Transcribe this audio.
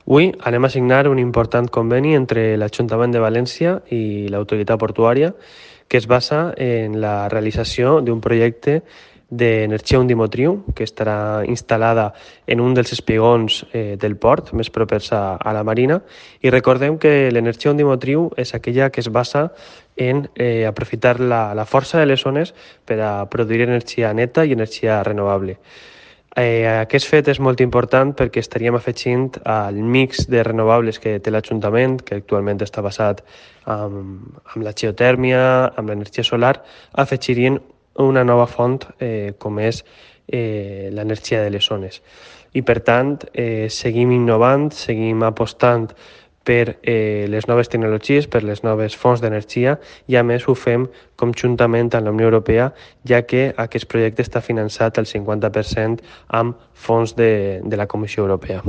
Avui anem a signar un important conveni entre l'Ajuntament de València i l'Autoritat Portuària que es basa en la realització d'un projecte d'energia ondimotriu que estarà instal·lada en un dels espigons del port més propers a la marina. I recordem que l'energia ondimotriu és aquella que es basa en aprofitar la força de les ones per a produir energia neta i energia renovable. Aquest fet és molt important perquè estaríem afegint al mix de renovables que té l'Ajuntament, que actualment està basat amb la geotèrmia, amb l'energia solar, afegirien una nova font com és l'energia de les zones. I per tant, seguim innovant, seguim apostant per les noves tecnologies, per les noves fonts d'energia i a més ho fem conjuntament amb la Unió Europea, ja que aquest projecte està finançat al 50% amb fons de la Comissió Europea.